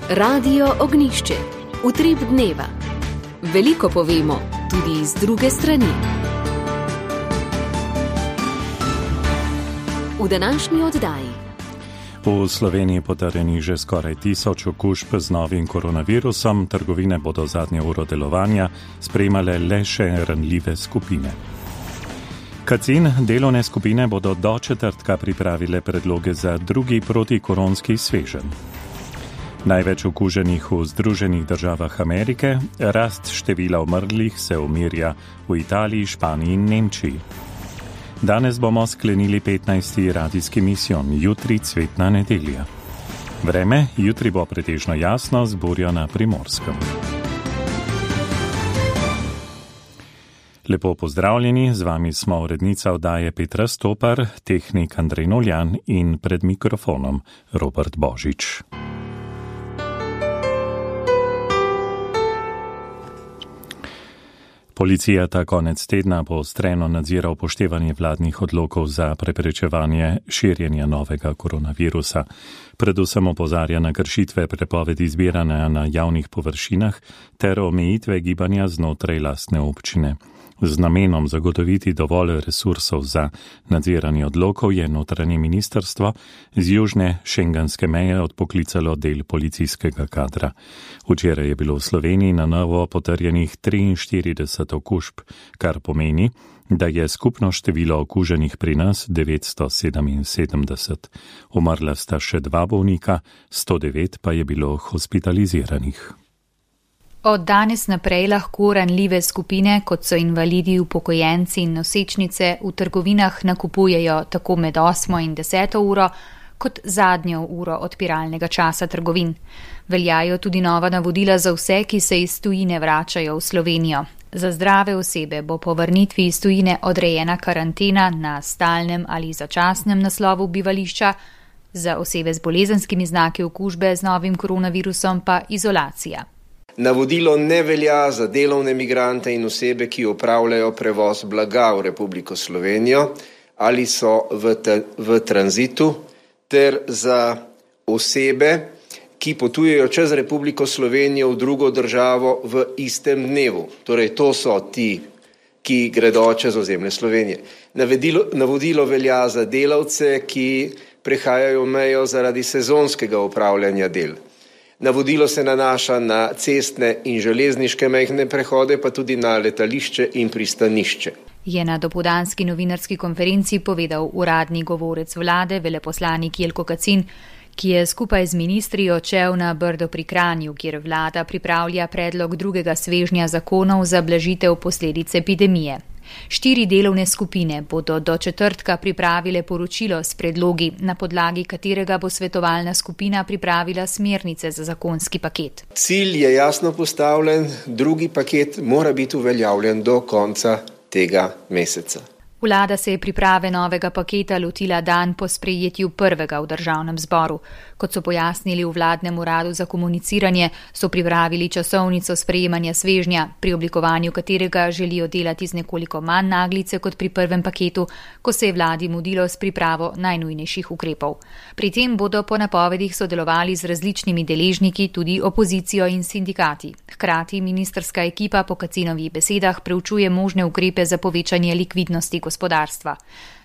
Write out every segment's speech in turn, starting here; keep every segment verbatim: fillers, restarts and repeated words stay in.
Radio Ognišče, utrip dneva. Veliko povemo, tudi iz druge strani. V današnji oddaji. V Sloveniji potrjenih že skoraj tisoč okužb z novim koronavirusom, trgovine bodo zadnje uro delovanja sprejemale le še ranljive skupine. Kacin delovne skupine bodo do četrtka pripravile predloge za drugi protikoronski sveženj. Največ okuženih v Združenih državah Amerike, rast števila umrlih se umirja v Italiji, Španiji in Nemčiji. Danes bomo sklenili petnajsti radijski misijon, jutri cvetna nedelja. Vreme, jutri bo pretežno jasno, z burjo na Primorskem. Lepo pozdravljeni, z vami smo urednica oddaje Petra Stopar, tehnik Andrej Noljan in pred mikrofonom Robert Božič. Policija ta konec tedna poostreno nadzira upoštevanje vladnih odlokov za preprečevanje širjenja novega koronavirusa. Predvsem opozarja na kršitve prepovedi zbiranja na javnih površinah ter omejitve gibanja znotraj lastne občine. Z namenom zagotoviti dovolj resursov za nadziranje odlokov je notranje ministrstvo z južne šengenske meje odpoklicalo del policijskega kadra. Včeraj je bilo v Sloveniji na novo potrjenih triinštirideset okužb, kar pomeni, da je skupno število okuženih pri nas devetsto sedeminsedemdeset. Umrla sta še dva bolnika, sto devet pa je bilo hospitaliziranih. Od danes naprej lahko ranljive skupine, kot so invalidi, upokojenci in nosečnice, v trgovinah nakupujejo tako med osmo in deseto uro, kot zadnjo uro odpiralnega časa trgovin. Veljajo tudi nova navodila za vse, ki se iz tujine vračajo v Slovenijo. Za zdrave osebe bo po vrnitvi iz tujine odrejena karantena na stalnem ali začasnem naslovu bivališča, za osebe z bolezenskimi znaki okužbe z novim koronavirusom pa izolacija. Navodilo ne velja za delovne migrante in osebe, ki opravljajo prevoz blaga v Republiko Slovenijo ali so v, te, v tranzitu, ter za osebe, ki potujejo čez Republiko Slovenijo v drugo državo v istem dnevu. Torej, to so ti, ki gredo čez ozemlje Slovenije. Navodilo, navodilo velja za delavce, ki prehajajo mejo zaradi sezonskega opravljanja del. Navodilo se nanaša na cestne in železniške mejne prehode, pa tudi na letališče in pristanišče. Je na dopoldanski novinarski konferenci povedal uradni govorec vlade, veleposlanik Jelko Kacin, ki je skupaj z ministri odšel na Brdo pri Kranju, kjer vlada pripravlja predlog drugega svežnja zakonov za blažitev posledic epidemije. Štiri delovne skupine bodo do četrtka pripravile poročilo s predlogi, na podlagi katerega bo svetovalna skupina pripravila smernice za zakonski paket. Cilj je jasno postavljen, drugi paket mora biti uveljavljen do konca tega meseca. Vlada se je priprave novega paketa lotila dan po sprejetju prvega v državnem zboru. Kot so pojasnili v vladnem uradu za komuniciranje, so pripravili časovnico sprejemanja svežnja, pri oblikovanju katerega želijo delati z nekoliko manj naglice kot pri prvem paketu, ko se je vladi mudilo s pripravo najnujnejših ukrepov. Pri tem bodo po napovedih sodelovali z različnimi deležniki, tudi opozicijo in sindikati. Hkrati ministrska ekipa po Kacinovih besedah preučuje možne ukrepe za povečanje likvidnosti gospodarstva.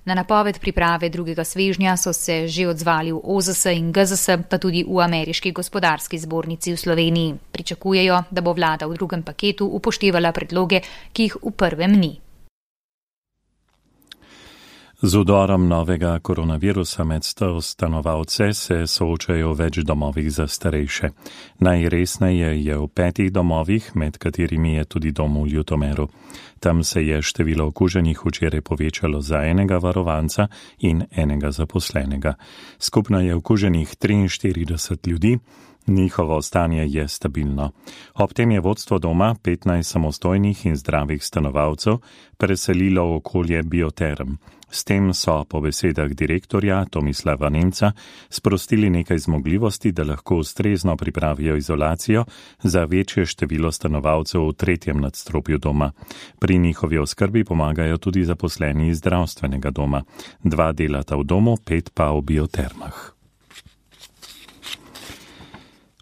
Na napoved priprave drugega svežnja so se že odzvali v O Z S in G Z S, pa tudi v Ameriški gospodarski zbornici v Sloveniji. Pričakujejo, da bo vlada v drugem paketu upoštevala predloge, ki jih v prvem ni. Z udorom novega koronavirusa med stanovalce se soočajo v več domovih za starejše. Najresneje je v petih domovih, med katerimi je tudi dom v Ljutomeru. Tam se je število okuženih včeraj povečalo za enega varovanca in enega zaposlenega. Skupno je okuženih triinštirideset ljudi, njihovo stanje je stabilno. Ob tem je vodstvo doma petnajst samostojnih in zdravih stanovalcev preselilo v okolje Bioterm. S tem so po besedah direktorja Tomislava Nemca sprostili nekaj zmogljivosti, da lahko ustrezno pripravijo izolacijo za večje število stanovalcev v tretjem nadstropju doma. Pri njihovi oskrbi pomagajo tudi zaposleni iz zdravstvenega doma. Dva delata v domu, pet pa v biotermah.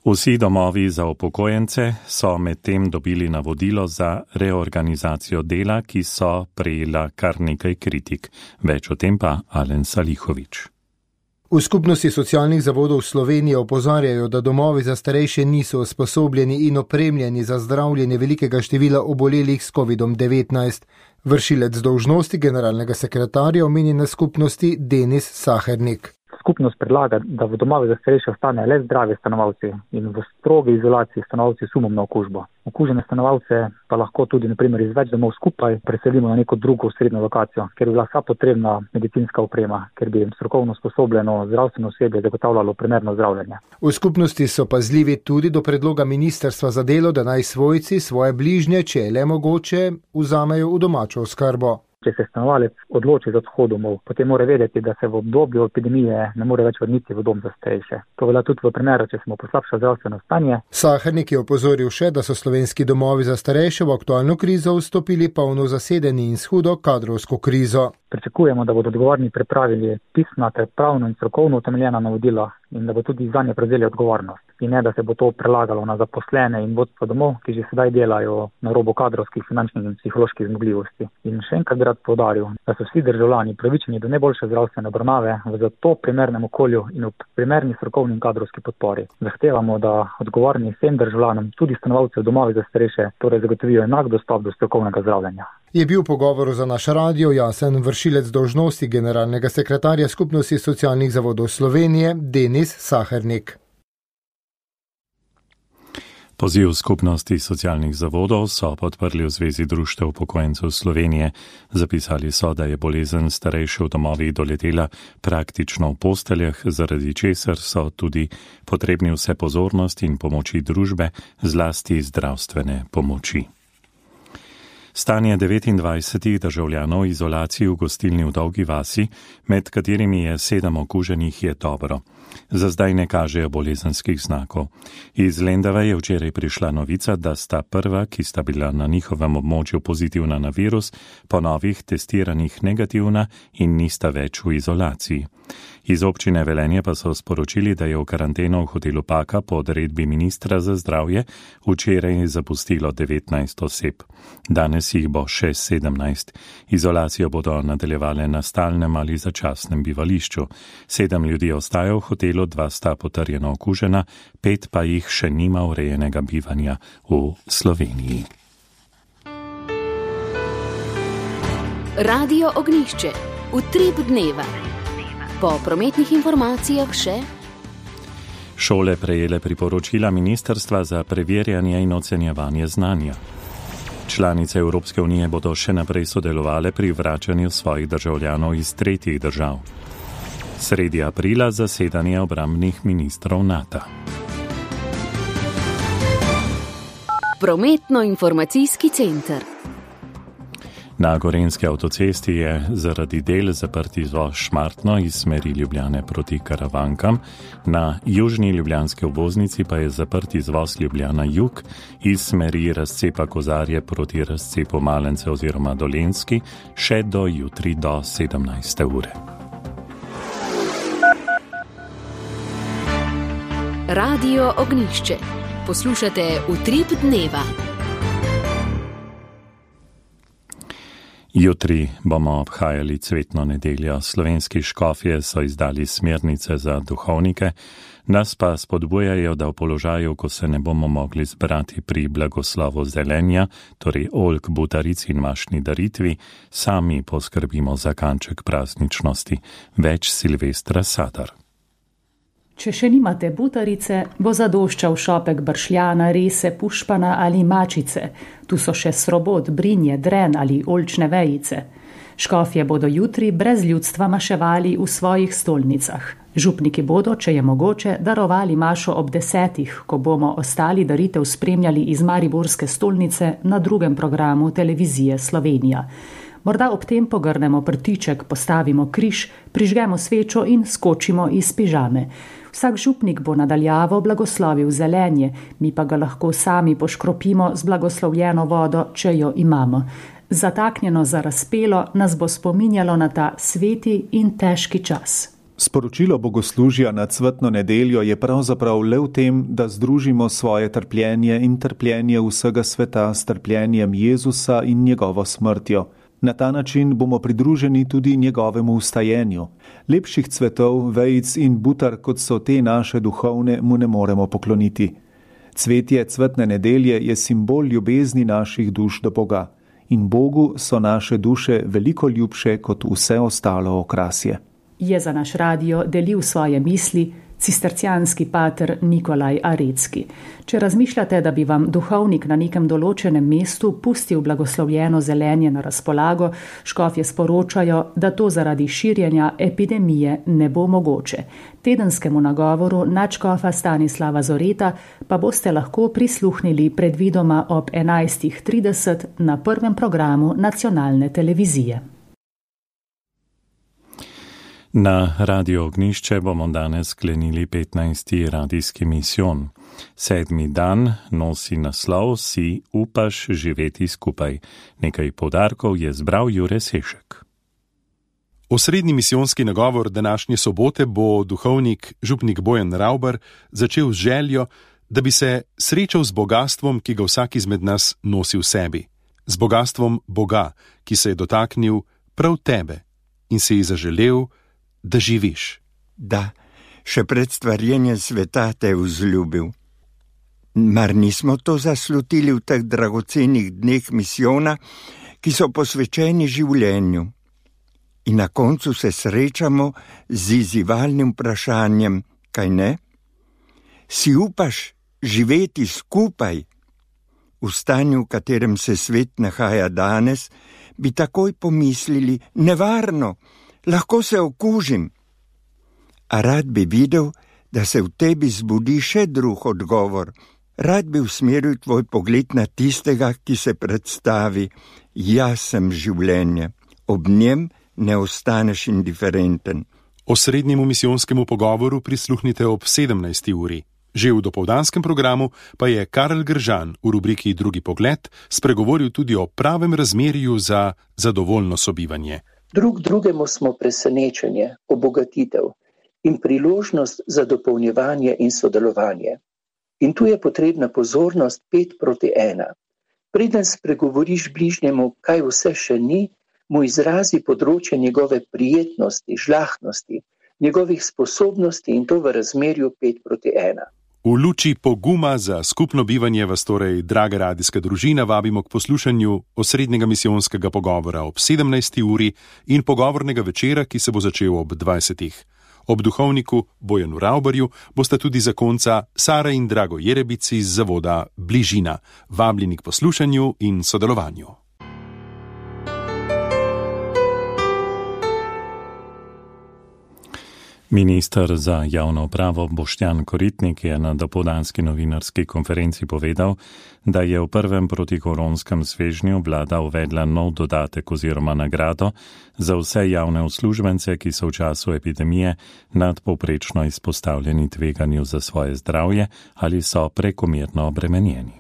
Vsi domovi za upokojence so medtem dobili navodilo za reorganizacijo dela, ki so prejela kar nekaj kritik. Več o tem pa Alen Salihovič. V skupnosti socialnih zavodov Slovenije opozarjajo, da domovi za starejše niso usposobljeni in opremljeni za zdravljenje velikega števila obolelih s kovidom devetnajst. Vršilec dolžnosti generalnega sekretarja omenjene skupnosti Denis Sahernik. Skupnost predlaga, da v domovih za starejše ostane le zdravi stanovalci in v strogi izolaciji stanovalci sumom na okužbo. Okužene stanovalce pa lahko tudi na primer iz več domov skupaj preselimo na neko drugo srednjo lokacijo, ker bi bila vsa potrebna medicinska oprema, ker bi jim strokovno usposobljeno zdravstveno osebje zagotavljalo primerno zdravljenje. V skupnosti so pazljivi tudi do predloga ministrstva za delo, da naj svojci svoje bližnje, če je le mogoče, vzamejo v domačo oskrbo. Če se stanovalec odloči za odhod domov, potem mora vedeti, da se v obdobju epidemije ne more več vrniti v dom za starejše. To velja tudi v primeru, če smo poslabšali zdravstveno stanje. Sahernik je opozoril še, da so slovenski domovi za starejše v aktualno krizo vstopili polno zasedeni in s hudo kadrovsko krizo. Pričakujemo, da bodo odgovorni pripravili pisna ter pravno in strokovno utemeljena navodila in da bo tudi zanje prevzeli odgovornost. In ne, da se bo to prelagalo na zaposlene in vodstvo domov, ki že sedaj delajo na robu kadrovskih, finančnih in psiholoških zmogljivosti. In še enkrat bi rad poudaril, da so vsi državljani pravičeni do najboljše zdravstvene obravnave v zato primernem okolju in v primerni strokovni in kadrovski podpori. Zahtevamo, da odgovorni vsem državljanom, tudi stanovalcev domovi za starejše, torej zagotovijo enak dostop do strokovnega zdravljenja. Je bil v pogovoru za naš radio jasen vršilec dolžnosti generalnega sekretarja skupnosti socialnih zavodov Slovenije Denis Sahernik. Poziv skupnosti socialnih zavodov so podprli v Zvezi društev upokojencev Slovenije. Zapisali so, da je bolezen starejše v domovih doletela praktično v posteljah, zaradi česar so tudi potrebni vse pozornosti in pomoči družbe, zlasti zdravstvene pomoči. Stanje devetindvajsetih državljanov v izolaciji v gostilni v Dolgi vasi, med katerimi je sedem okuženih, je dobro. Za zdaj ne kažejo bolezenskih znakov. Iz Lendave je včeraj prišla novica, da sta prva, ki sta bila na njihovem območju pozitivna na virus, po novih testiranih negativna in nista več v izolaciji. Iz občine Velenje pa so sporočili, da je v karanteno v hotelu Paka po odredbi ministra za zdravje včeraj zapustilo devetnajst oseb. Danes jih bo še sedemnajst. Izolacijo bodo nadaljevale na stalnem ali začasnem bivališču. Sedem ljudi ostaja v hotelu, dva sta potrjeno okužena, pet pa jih še nima urejenega bivanja v Sloveniji. Radio Ognjišče. Utrip dneva. Po prometnih informacijah še šole prejele priporočila ministrstva za preverjanje in ocenjevanje znanja. Članice Evropske unije bodo še naprej sodelovale pri vračanju svojih državljanov iz tretjih držav. Sredi aprila zasedanje obrambnih ministrov NATO. Prometno-informacijski center. Na Gorenjski avtocesti je zaradi del zaprt izvoz Šmartno iz smeri Ljubljane proti Karavankam, na južni ljubljanski obvoznici pa je zaprt izvoz Ljubljana jug iz smeri razcepa Kozarje proti razcepu Malence oziroma Dolenjski še do jutri do sedemnajste ure. Radio Ognjišče. Poslušate Utrip dneva. Jutri bomo obhajali cvetno nedeljo. Slovenski škofje so izdali smernice za duhovnike, nas pa spodbujajo, da v položaju, ko se ne bomo mogli zbrati pri blagoslovu zelenja, torej oljk, butaric in mašni daritvi, sami poskrbimo za kanček prazničnosti. Več Silvestra Sadar. Če še nimate butarice, bo zadoščal šopek bršljana, rese, pušpana ali mačice. Tu so še srobot, brinje, dren ali oljčne vejice. Škofje bodo jutri brez ljudstva maševali v svojih stolnicah. Župniki bodo, če je mogoče, darovali mašo ob desetih, ko bomo ostali daritev spremljali iz mariborske stolnice na drugem programu televizije Slovenija. Morda ob tem pogrnemo prtiček, postavimo križ, prižgemo svečo in skočimo iz pižame. Vsak župnik bo nadaljavo blagoslovil zelenje, mi pa ga lahko sami poškropimo z blagoslovljeno vodo, če jo imamo. Zataknjeno za razpelo nas bo spominjalo na ta sveti in težki čas. Sporočilo bogoslužja na cvetno nedeljo je pravzaprav le v tem, da združimo svoje trpljenje in trpljenje vsega sveta s trpljenjem Jezusa in njegovo smrtjo. Na ta način bomo pridruženi tudi njegovemu vstajenju. Lepših cvetov, vejic in butar, kot so te naše duhovne, mu ne moremo pokloniti. Cvetje cvetne nedelje je simbol ljubezni naših duš do Boga. In Bogu so naše duše veliko ljubše kot vse ostalo okrasje. Je za naš radio delil svoje misli cistercijanski pater Nikolaj Arecki. Če razmišljate, da bi vam duhovnik na nekem določenem mestu pustil blagoslovljeno zelenje na razpolago, škofje sporočajo, da to zaradi širjenja epidemije ne bo mogoče. Tedenskemu nagovoru nadškofa Stanislava Zoreta pa boste lahko prisluhnili predvidoma ob enajstih trideset na prvem programu nacionalne televizije. Na Radio Ognjišče bomo danes sklenili petnajsti radijski misijon. Sedmi dan nosi naslov Si upaš živeti skupaj. Nekaj poudarkov je zbral Jure Sešek. Osrednji misijonski nagovor današnje sobote bo duhovnik župnik Bojan Ravbar začel z željo, da bi se srečal z bogatstvom, ki ga vsak izmed nas nosi v sebi. Z bogatstvom Boga, ki se je dotaknil prav tebe in si ji zaželel, da živiš. Da, še pred stvarjenjem sveta te je vzljubil. Mar nismo to zaslutili v teh dragocenih dneh misijona, ki so posvečeni življenju? In na koncu se srečamo z izzivalnim vprašanjem, kaj ne? Si upaš živeti skupaj? V stanju, v katerem se svet nahaja danes, bi takoj pomislili, nevarno, lahko se okužim. A rad bi videl, da se v tebi zbudi še drug odgovor. Rad bi usmeril tvoj pogled na tistega, ki se predstavi, jaz sem življenje. Ob njem ne ostaneš indiferenten. Osrednjemu misijonskemu pogovoru prisluhnite ob sedemnajsti uri. Že v dopoldanskem programu pa je Karel Gržan v rubriki Drugi pogled spregovoril tudi o pravem razmerju za zadovoljno sobivanje. Drug drugemu smo presenečenje, obogatitev in priložnost za dopolnjevanje in sodelovanje. In tu je potrebna pozornost pet proti ena. Preden spregovoriš bližnjemu, kaj vse še ni, mu izrazi področje njegove prijetnosti, žlahtnosti, njegovih sposobnosti in to v razmerju pet proti ena. V luči poguma za skupno bivanje vas torej, draga radijska družina, vabimo k poslušanju osrednjega misijonskega pogovora ob sedemnajsti uri in pogovornega večera, ki se bo začel ob dvajsetih. Ob duhovniku Bojanu Ravbarju bosta tudi zakonca Sara in Drago Jerebici iz zavoda Bližina, vabljeni k poslušanju in sodelovanju. Minister za javno upravo Boštjan Koritnik je na dopoldanski novinarski konferenci povedal, da je v prvem protikoronskem svežnju vlada uvedla nov dodatek oziroma nagrado za vse javne uslužbence, ki so v času epidemije nadpovprečno izpostavljeni tveganju za svoje zdravje ali so prekomerno obremenjeni.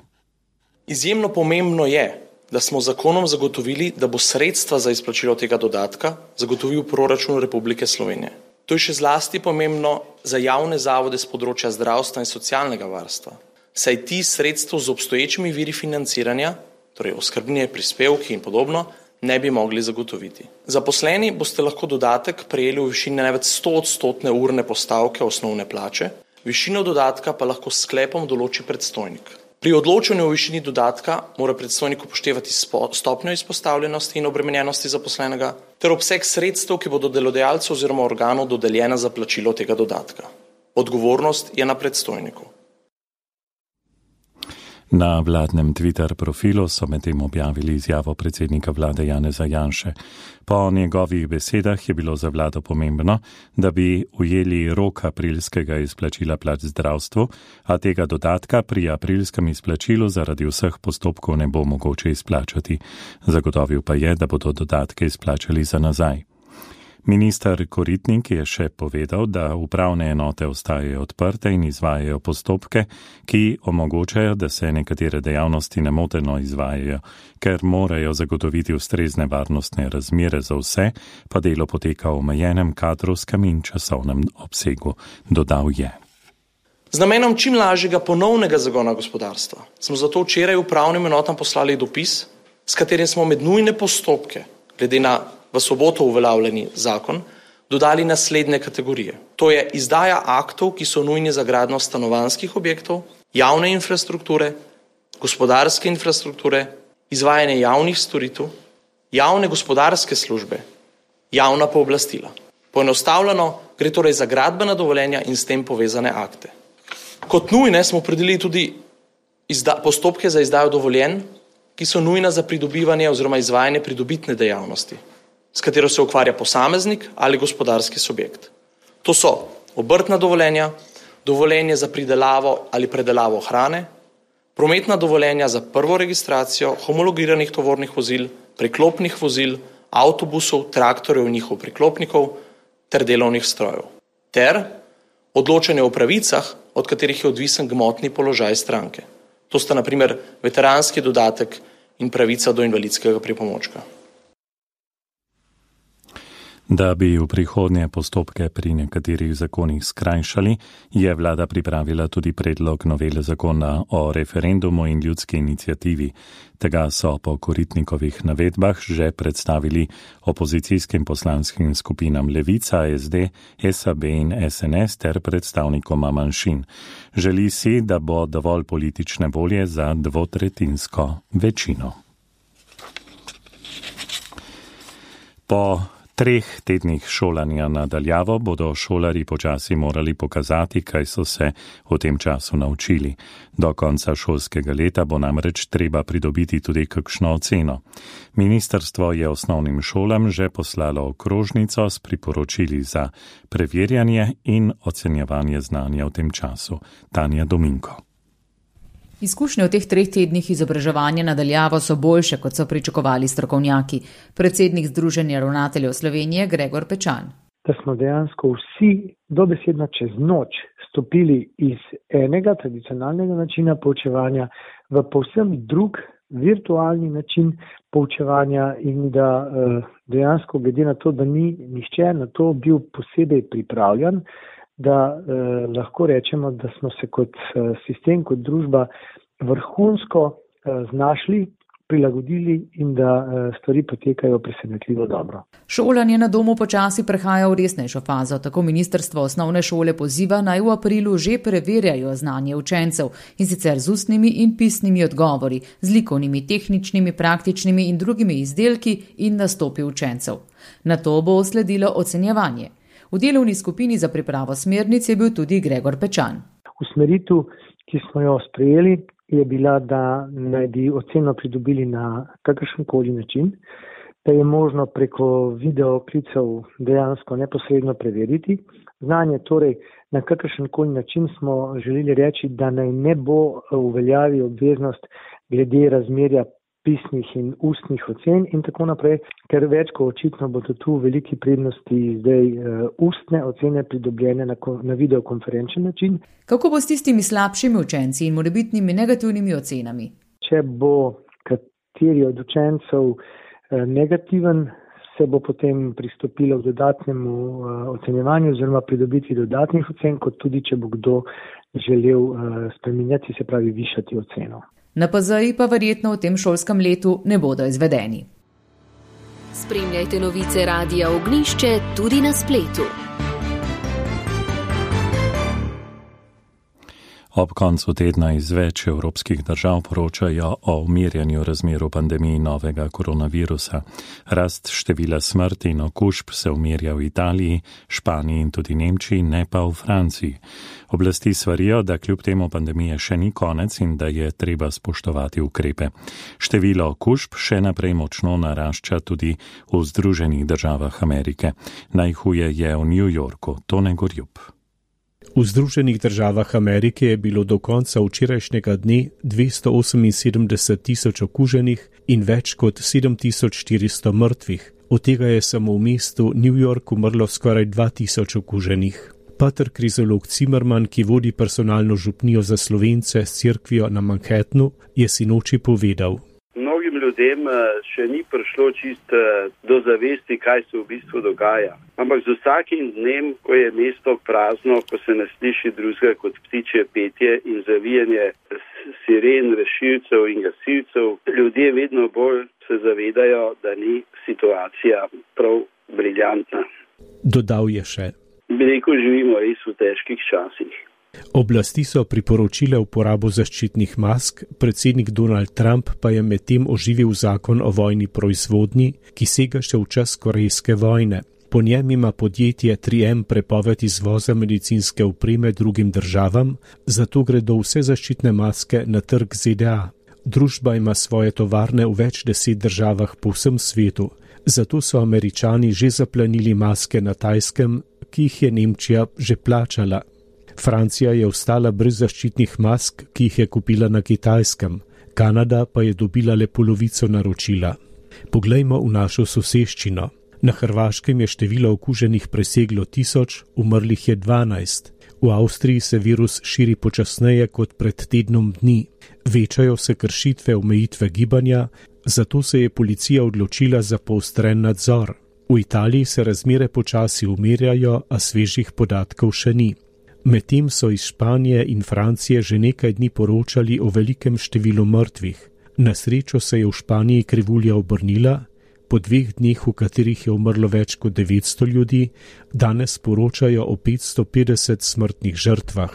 Izjemno pomembno je, da smo zakonom zagotovili, da bo sredstva za izplačilo tega dodatka zagotovil proračun Republike Slovenije. To je še zlasti pomembno za javne zavode z področja zdravstva in socialnega varstva, saj ti sredstev z obstoječimi viri financiranja, torej oskrbnine, prispevki in podobno, ne bi mogli zagotoviti. Zaposleni boste lahko dodatek prejeli v višini največ sto odstotne urne postavke osnovne plače, višino dodatka pa lahko s sklepom določi predstojnik. Pri odločanju o višini dodatka mora predstojnik upoštevati stopnjo izpostavljenosti in obremenjenosti zaposlenega ter obseg sredstev, ki bodo delodajalcu oziroma organu dodeljena za plačilo tega dodatka. Odgovornost je na predstojniku. Na vladnem Twitter profilu so medtem objavili izjavo predsednika vlade Janeza Janše. Po njegovih besedah je bilo za vlado pomembno, da bi ujeli rok aprilskega izplačila plač zdravstvu, a tega dodatka pri aprilskem izplačilu zaradi vseh postopkov ne bo mogoče izplačati. Zagotovil pa je, da bodo dodatke izplačali za nazaj. Minister Koritnik je še povedal, da upravne enote ostajajo odprte in izvajajo postopke, ki omogočajo, da se nekatere dejavnosti nemoteno izvajajo, ker morajo zagotoviti ustrezne varnostne razmere za vse, pa delo poteka v omejenem kadrovskem in časovnem obsegu, dodal je. Z namenom čim lažjega ponovnega zagona gospodarstva smo zato včeraj upravnim enotam poslali dopis, s katerim smo med nujne postopke, glede na v soboto uveljavljeni zakon, dodali naslednje kategorije. To je izdaja aktov, ki so nujni za gradnjo stanovanjskih objektov, javne infrastrukture, gospodarske infrastrukture, izvajanje javnih storitev, javne gospodarske službe, javna pooblastila. Poenostavljeno gre torej za gradbena dovoljenja in s tem povezane akte. Kot nujne smo opredelili tudi izda- postopke za izdajo dovoljenj, ki so nujna za pridobivanje oziroma izvajanje pridobitne dejavnosti, s katero se ukvarja posameznik ali gospodarski subjekt. To so obrtna dovoljenja, dovoljenje za pridelavo ali predelavo hrane, prometna dovoljenja za prvo registracijo homologiranih tovornih vozil, priklopnih vozil, avtobusov, traktorjev in njihov priklopnikov ter delovnih strojev. Ter odločanje o pravicah, od katerih je odvisen gmotni položaj stranke. To sta na primer veteranski dodatek in pravica do invalidskega pripomočka. Da bi v prihodnje postopke pri nekaterih zakonih skrajšali, je vlada pripravila tudi predlog novele zakona o referendumu in ljudski iniciativi. Tega so po Koritnikovih navedbah že predstavili opozicijskim poslanskim skupinam Levica, S D, S A B in S N S ter predstavnikoma manjšin. Želi si, da bo dovolj politične volje za dvotretjinsko večino. Po treh tednih šolanja nadaljavo bodo šolarji počasi morali pokazati, kaj so se v tem času naučili. Do konca šolskega leta bo namreč treba pridobiti tudi kakšno oceno. Ministrstvo je osnovnim šolam že poslalo okrožnico s priporočili za preverjanje in ocenjevanje znanja v tem času. Tanja Dominko. Izkušnje v teh treh tednih izobraževanja nadaljavo so boljše, kot so pričakovali strokovnjaki. Predsednik Združenja ravnateljev Slovenije Gregor Pečan. Da smo dejansko vsi dobesedno čez noč stopili iz enega tradicionalnega načina poučevanja v povsem drug virtualni način poučevanja in da dejansko glede na to, da ni nihče na to bil posebej pripravljen, da eh, lahko rečemo, da smo se kot eh, sistem, kot družba vrhunsko eh, znašli, prilagodili in da eh, stvari potekajo presenetljivo dobro. Šolanje na domu počasi prehaja v resnejšo fazo. Tako ministrstvo osnovne šole poziva, naj v aprilu že preverjajo znanje učencev in sicer z ustnimi in pisnimi odgovori, z likovnimi, tehničnimi, praktičnimi in drugimi izdelki in nastopi učencev. Na to bo sledilo ocenjevanje. V delovni skupini za pripravo smernic je bil tudi Gregor Pečan. Usmeritev, ki smo jo sprejeli, je bila, da naj bi oceno pridobili na kakršenkoli način, da je možno preko videoklicev dejansko neposredno preveriti. Znanje torej na kakršenkoli način smo želeli reči, da naj ne bo uveljavi obveznost glede razmerja pisnih in ustnih ocen in tako naprej, ker več kot očitno bodo tu veliki prednosti zdaj uh, ustne ocene pridobljene na, na videokonferenčen način. Kako bo s tistimi slabšimi učenci in morebitnimi negativnimi ocenami? Če bo kateri od učencev uh, negativen, se bo potem pristopilo k dodatnemu uh, ocenjevanju oziroma pridobiti dodatnih ocen, kot tudi če bo kdo želel uh, spreminjati, se pravi višati oceno. Na P Z I pa verjetno v tem šolskem letu ne bodo izvedeni. Spremljajte novice Radia Ognjišče tudi na spletu. Ob koncu tedna iz več evropskih držav poročajo o umirjanju razmer v pandemiji novega koronavirusa. Rast števila smrti in okužb se umirja v Italiji, Španiji in tudi Nemčiji, ne pa v Franciji. Oblasti svarijo, da kljub temu pandemije še ni konec in da je treba spoštovati ukrepe. Število okužb še naprej močno narašča tudi v Združenih državah Amerike. Najhuje je v New Yorku. Tone Gorjup. V Združenih državah Amerike je bilo do konca včerajšnjega dne dvesto oseminsedemdeset tisoč okuženih in več kot sedem tisoč štiristo mrtvih. Od tega je samo v mestu New York umrlo skoraj dva tisoč okuženih. Pater krizolog Zimmerman, ki vodi personalno župnijo za Slovence s cerkvijo na Manhattnu, je sinoči povedal. Mnogim ljudem še ni prišlo čist do zavesti, kaj se v bistvu dogaja. Ampak z vsakim dnem, ko je mesto prazno, ko se ne sliši drugega kot ptičje petje in zavijanje siren, rešilcev in gasilcev, ljudje vedno bolj se zavedajo, da ni situacija prav briljantna. Dodal je še. Bi rekel, živimo res v težkih časih. Oblasti so priporočile uporabo zaščitnih mask, predsednik Donald Trump pa je medtem oživil zakon o vojni proizvodnji, ki sega še v čas korejske vojne. Po njem ima podjetje tri M prepoved izvoza medicinske opreme drugim državam, zato gredo vse zaščitne maske na trg Z D A. Družba ima svoje tovarne v več deset državah po vsem svetu, zato so Američani že zaplanili maske na Tajskem, ki jih je Nemčija že plačala. Francija je ostala brez zaščitnih mask, ki jih je kupila na Kitajskem. Kanada pa je dobila le polovico naročila. Poglejmo v našo soseščino. Na Hrvaškem je število okuženih preseglo tisoč, umrlih je dvanajst. V Avstriji se virus širi počasneje kot pred tednom dni. Večajo se kršitve omejitve gibanja, zato se je policija odločila za poostren nadzor. V Italiji se razmere počasi umirjajo, a svežih podatkov še ni. Medtem so iz Španije in Francije že nekaj dni poročali o velikem številu mrtvih. Na srečo se je v Španiji krivulja obrnila, po dveh dneh, v katerih je umrlo več kot devetsto ljudi, danes poročajo o petsto petdeset smrtnih žrtvah.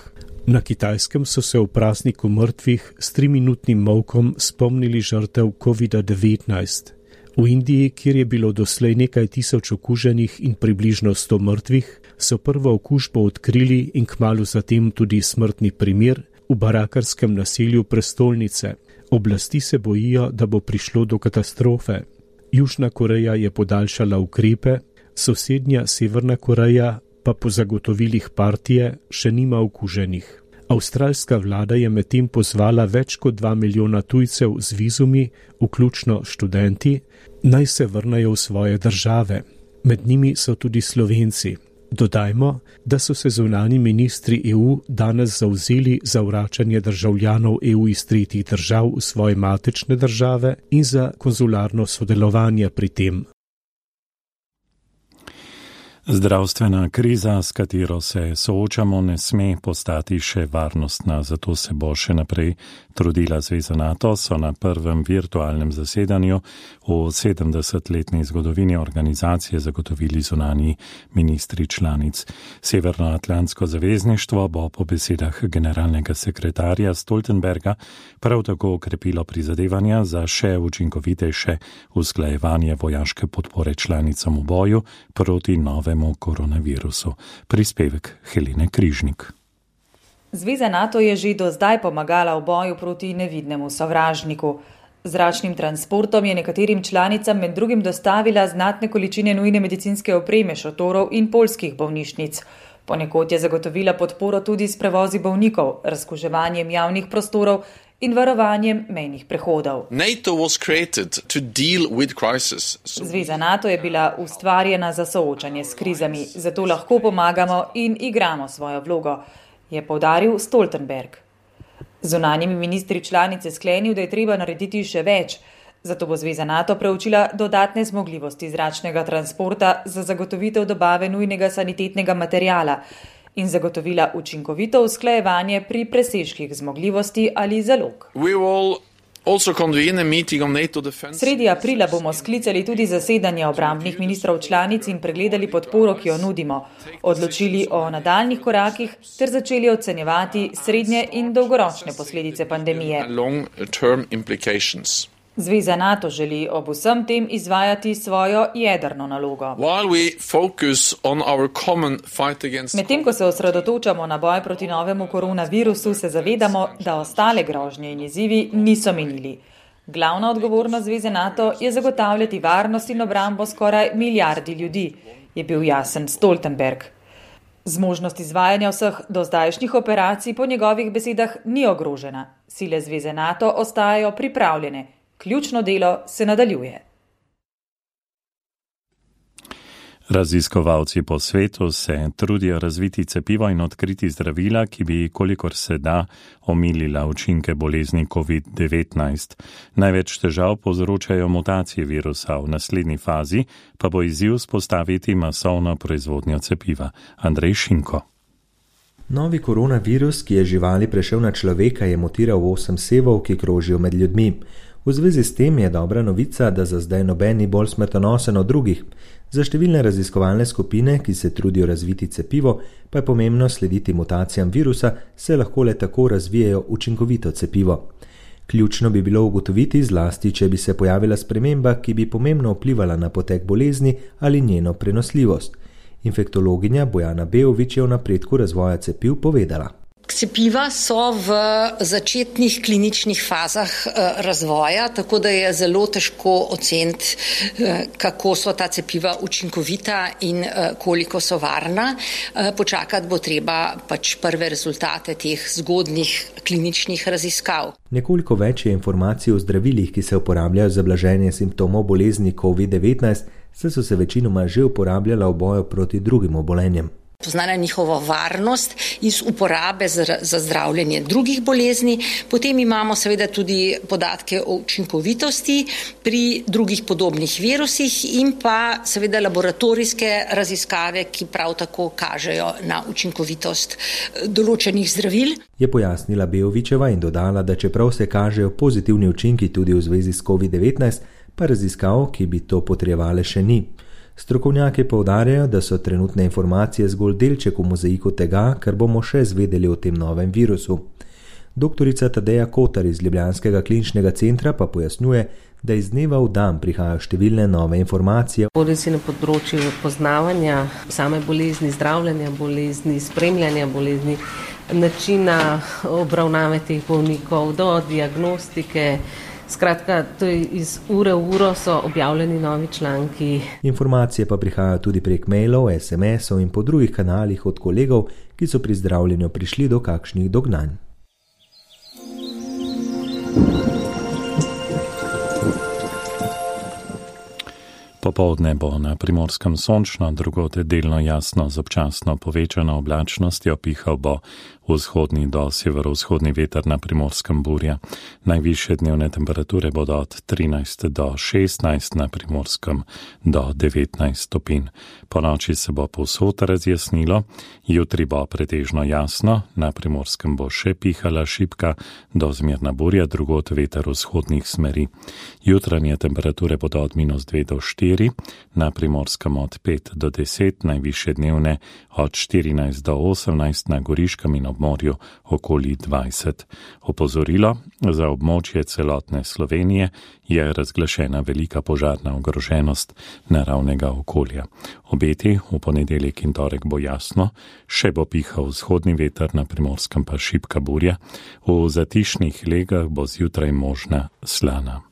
Na Kitajskem so se v prazniku mrtvih s triminutnim molkom spomnili žrtev kovida devetnajst. V Indiji, kjer je bilo doslej nekaj tisoč okuženih in približno sto mrtvih, so prvo okužbo odkrili in kmalu zatem tudi smrtni primer v barakarskem naselju prestolnice. Oblasti se bojijo, da bo prišlo do katastrofe. Južna Koreja je podaljšala ukrepe, sosednja Severna Koreja pa po zagotovilih partije še nima okuženih. Avstralska vlada je medtem pozvala več kot dva milijona tujcev z vizumi, vključno študenti, naj se vrnejo v svoje države. Med njimi so tudi Slovenci. Dodajmo, da so se zunanji ministri E U danes zavzeli za vračanje državljanov E U iz tretjih držav v svoje matične države in za konzularno sodelovanje pri tem. Zdravstvena kriza, s katero se soočamo, ne sme postati še varnostna, zato se bo še naprej trudila Zveza NATO, so na prvem virtualnem zasedanju v sedemdesetletni zgodovini organizacije zagotovili zunanji ministri članic. Severnoatlantsko zavezništvo bo po besedah generalnega sekretarja Stoltenberga prav tako okrepilo prizadevanja za še učinkovitejše usklajevanje vojaške podpore članicam v boju proti novemu koronavirusu. Prispevek Helene Križnik. Zveza NATO je že do zdaj pomagala v boju proti nevidnemu sovražniku. Zračnim transportom je nekaterim članicam med drugim dostavila znatne količine nujne medicinske opreme, šotorov in poljskih bolnišnic. Ponekod je zagotovila podporo tudi s prevozi bolnikov, razkuževanjem javnih prostorov in varovanjem mejnih prehodov. NATO was created to deal with crisis. Zveza NATO je bila ustvarjena za soočanje s krizami, zato lahko pomagamo in igramo svojo vlogo, je poudaril Stoltenberg. Zunanjimi ministri članice sklenil, da je treba narediti še več, zato bo Zveza NATO preučila dodatne zmogljivosti zračnega transporta za zagotovitev dobave nujnega sanitetnega materijala in zagotovila učinkovito usklajevanje pri presežkih zmogljivosti ali zalog. Sredi aprila bomo sklicali tudi zasedanje obrambnih ministrov članic in pregledali podporo, ki jo nudimo, odločili o nadaljnih korakih ter začeli ocenjevati srednje in dolgoročne posledice pandemije. Zveza NATO želi ob vsem tem izvajati svojo jedrno nalogo. Medtem ko se osredotočamo na boj proti novemu koronavirusu, se zavedamo, da ostale grožnje in izzivi niso minili. Glavna odgovornost Zveze NATO je zagotavljati varnost in obrambo skoraj milijardi ljudi, je bil jasen Stoltenberg. Zmožnost izvajanja vseh dozdajšnjih operacij po njegovih besedah ni ogrožena. Sile Zveze NATO ostajajo pripravljene. Ključno delo se nadaljuje. Raziskovalci po svetu se trudijo razviti cepivo in odkriti zdravila, ki bi, kolikor se da, omilila učinke bolezni covid devetnajst. Največ težav povzročajo mutacije virusa, v naslednji fazi pa bo izziv spostaviti masovno proizvodnjo cepiva. Andrej Šinko. Novi koronavirus, ki je živali prešel na človeka, je mutiral v osem sevov, ki krožijo med ljudmi. V zvezi s tem je dobra novica, da za zdaj noben ni bolj smrtonosen od drugih. Za številne raziskovalne skupine, ki se trudijo razviti cepivo, pa je pomembno slediti mutacijam virusa, se lahko le tako razvijajo učinkovito cepivo. Ključno bi bilo ugotoviti zlasti, če bi se pojavila sprememba, ki bi pomembno vplivala na potek bolezni ali njeno prenosljivost. Infektologinja Bojana Beovič je o napredku razvoja cepiv povedala. Cepiva so v začetnih kliničnih fazah razvoja, tako da je zelo težko oceniti, kako so ta cepiva učinkovita in koliko so varna. Počakati bo treba pač prve rezultate teh zgodnjih kliničnih raziskav. Nekoliko več je informacij o zdravilih, ki se uporabljajo za blaženje simptomov bolezni covid devetnajst, saj so se večinoma že uporabljala v boju proti drugim obolenjem. Poznana je njihova varnost iz uporabe za, za zdravljenje drugih bolezni. Potem imamo seveda tudi podatke o učinkovitosti pri drugih podobnih virusih in pa seveda laboratorijske raziskave, ki prav tako kažejo na učinkovitost določenih zdravil. Je pojasnila Beovičeva in dodala, da čeprav se kažejo pozitivni učinki tudi v zvezi s covid devetnajst, pa raziskav, ki bi to potrebovale, še ni. Strokovnjaki poudarjajo, da so trenutne informacije zgolj delček v mozaiku tega, kar bomo še zvedeli o tem novem virusu. Doktorica Tadeja Kotar iz Ljubljanskega kliničnega centra pa pojasnjuje, da iz dneva v dan prihajajo številne nove informacije. Bodisi na področju poznavanja same bolezni, zdravljenja bolezni, spremljanja bolezni, načina obravnave teh bolnikov do diagnostike. Skratka, to je iz ure v uro so objavljeni novi članki. Informacije pa prihajajo tudi prek mailov, es em esov in po drugih kanalih od kolegov, ki so pri zdravljenju prišli do kakšnih dognanj. Popoldne bo na Primorskem sončno, drugod delno jasno z občasno povečano oblačnostjo, pihal bo vzhodni do severovzhodni veter, na Primorskem burja. Najvišje dnevne temperature bodo od trinajst do šestnajst, na Primorskem do devetnajst stopinj. Po noči se bo povsod razjasnilo, jutri bo pretežno jasno, na Primorskem bo še pihala šibka do zmerna burja, drugod veter vzhodnih smeri. Jutranje temperature bodo od minus dve do štiri, na Primorskem od pet do deset, najvišje dnevne od štirinajst do osemnajst, na Goriškem in obmorju okoli dvajset. Opozorilo za območje celotne Slovenije je razglašena velika požarna ogroženost naravnega okolja. Obeti v ponedeljek in torek bo jasno, še bo pihal vzhodni veter, na Primorskem pa šibka burja, v zatišnih legah bo zjutraj možna slana.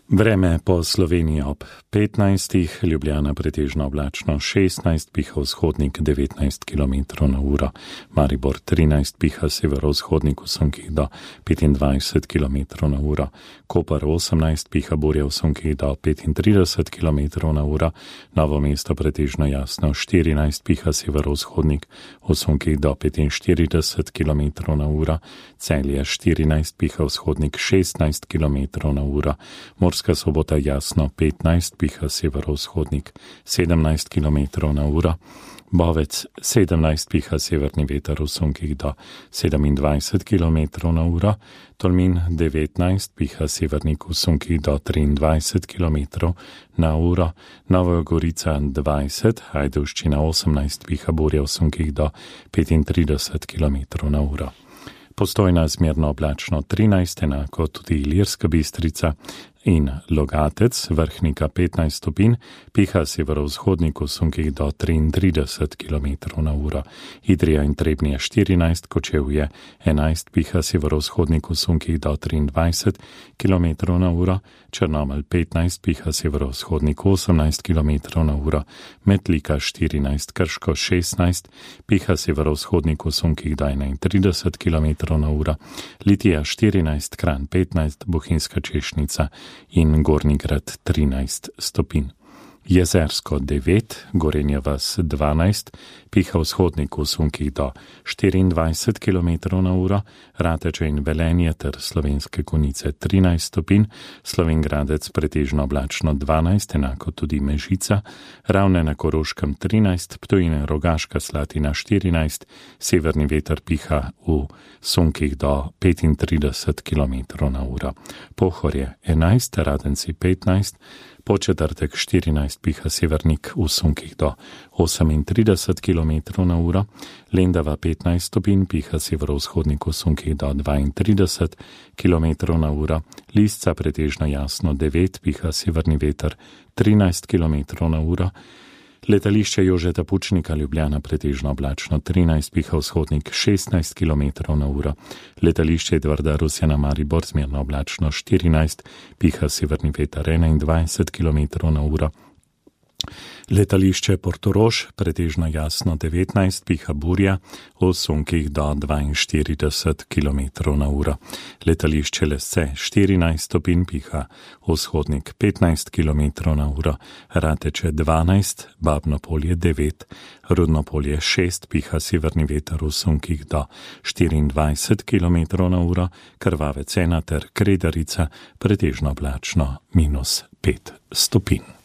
Vreme po Sloveniji ob petnajstih, Ljubljana pretežno oblačno šestnajst, piha vzhodnik devetnajst kilometrov na uro, Maribor trinajst, piha severovzhodnik v sunkih do petindvajset kilometrov na uro, Koper osemnajst, piha burja v sunkih do petintrideset kilometrov na uro, Novo mesto pretežno jasno štirinajst, piha severovzhodnik v sunkih do petinštirideset kilometrov na uro, Celje štirinajst, piha vzhodnik šestnajst kilometrov na uro, Murska Sobota jasno petnajst, piha severovzhodnik sedemnajst kilometrov na uro, Bovec sedemnajst, piha severni veter v sunkih do sedemindvajset kilometrov na uro, Tolmin devetnajst, piha severnik v sunkih do triindvajset kilometrov na uro, Nova Gorica dvajset, Ajdovščina osemnajst, piha burja v sunkih do petintrideset kilometrov na uro. Postojna zmerno oblačno trinajst, enako tudi Ilirska Bistrica in Logatec, Vrhnika petnajst stopinj, piha severovzhodnik v sunkih do triintrideset kilometrov na uro. Idrija in Trebnje štirinajst, Kočevje enajst, piha severovzhodnik v sunkih do triindvajset kilometrov na uro, Črnomelj petnajst, piha severovzhodnik osemnajst kilometrov na uro, Metlika štirinajst, Krško šestnajst, piha severovzhodnik v sunkih do enaintrideset kilometrov na uro, Litija štirinajst, Kranj petnajst, Bohinjska Češnica in Gornji Grad trinajst stopinj. Jezersko devet, Gorenja vas dvanajst, piha vzhodnik v sunkih do štiriindvajset kilometrov na uro, Rateče in Velenje ter Slovenske Konjice trinajst stopinj, Slovengradec pretežno oblačno dvanajst, enako tudi Mežica, Ravne na Koroškem trinajst, Ptuj in Rogaška Slatina štirinajst, severni veter piha v sunkih do petintrideset kilometrov na uro, Pohorje enajst, Radenci petnajst, po četrtek štirinajst piha severnik v sunkih do osemintrideset kilometrov na uro, Lendava petnajst stopinj piha severovzhodnik v sunkih do dvaintrideset kilometrov na uro, Lisca pretežno jasno devet piha severni veter trinajst kilometrov na uro, Letališče Jožeta Pučnika Ljubljana pretežno oblačno trinajst piha vzhodnik šestnajst kilometrov na uro, Letališče Edvarda Rusjana Maribor zmerno oblačno štirinajst piha severni veter enaindvajset kilometrov na uro, Letališče Portorož pretežno jasno devetnajst piha burja v sunkih do dvainštirideset kilometrov na uro, Letališče Lesce štirinajst stopinj piha vzhodnik petnajst kilometrov na uro, Rateče dvanajst, Babno Polje devet, Rudno Polje šest piha severni veter v sunkih do štiriindvajset kilometrov na uro, Krvavec ena ter Kredarica pretežno oblačno minus pet stopinj.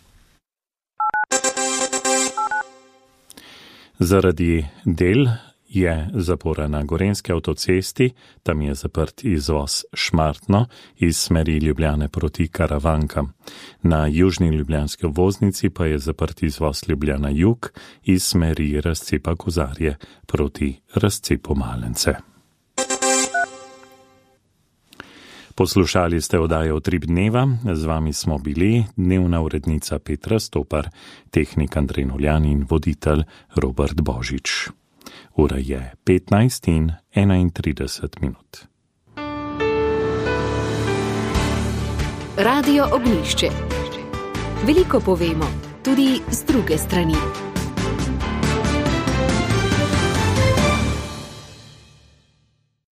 Zaradi del je zapora na Gorenjski avtocesti, tam je zaprt izvoz Šmartno iz smeri Ljubljane proti Karavankam. Na južni ljubljanski obvoznici pa je zaprt izvoz Ljubljana jug iz smeri razcepa Kozarje proti razcepu Malence. Poslušali ste oddajo Utrip dneva, z vami smo bili dnevna urednica Petra Stopar, tehnik Andrej Noljan in voditelj Robert Božič. Ura je petnajst in enaintrideset minut. Radio Ognjišče. Veliko povemo, tudi z druge strani.